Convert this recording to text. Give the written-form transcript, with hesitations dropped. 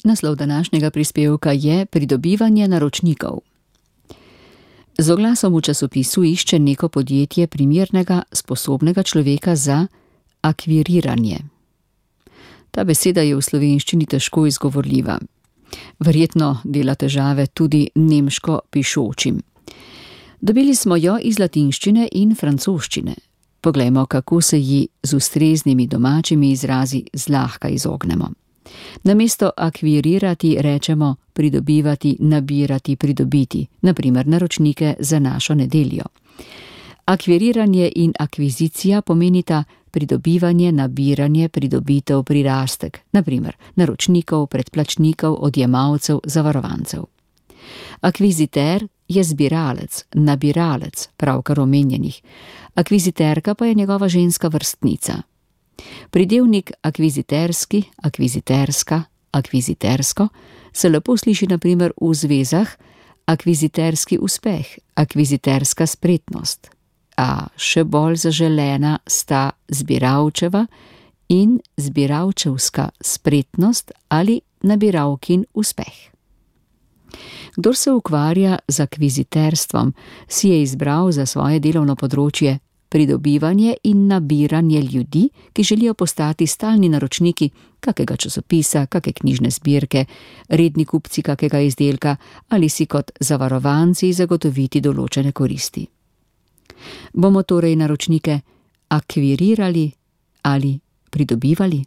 Naslov današnjega prispevka je Pridobivanje naročnikov. Z oglasom v časopisu išče neko podjetje primernega, sposobnega človeka za akviriranje. Ta beseda je v slovenščini težko izgovorljiva. Verjetno dela težave tudi nemško pišočim. Dobili smo jo iz latinščine in francoščine. Poglejmo, kako se ji z ustreznimi domačimi izrazi zlahka izognemo. Namesto akvirirati rečemo pridobivati, nabirati, pridobiti, na primer naročnike za našo nedeljo. Akviriranje in akvizicija pomenita pridobivanje, nabiranje, pridobitev, prirastek, na primer naročnikov, predplačnikov, odjemalcev, zavarovancev. Akviziter je zbiralec, nabiralec, pravkar omenjenih. Akviziterka pa je njegova ženska vrstnica. Pridevnik akviziterski, akviziterska, akvizitersko se lepo sliši na primer v zvezah akviziterski uspeh, akviziterska spretnost. A še bolj zaželena sta zbiralčeva in zbiralčevska spretnost ali nabiralkin uspeh. Kdor se ukvarja z akviziterstvom, si je izbral za svoje delovno področje pridobivanje in nabiranje ljudi, ki želijo postati stalni naročniki kakega časopisa, kake knjižne zbirke, redni kupci kakega izdelka ali si kot zavarovanci zagotoviti določene koristi. Bomo torej naročnike akvirirali ali pridobivali?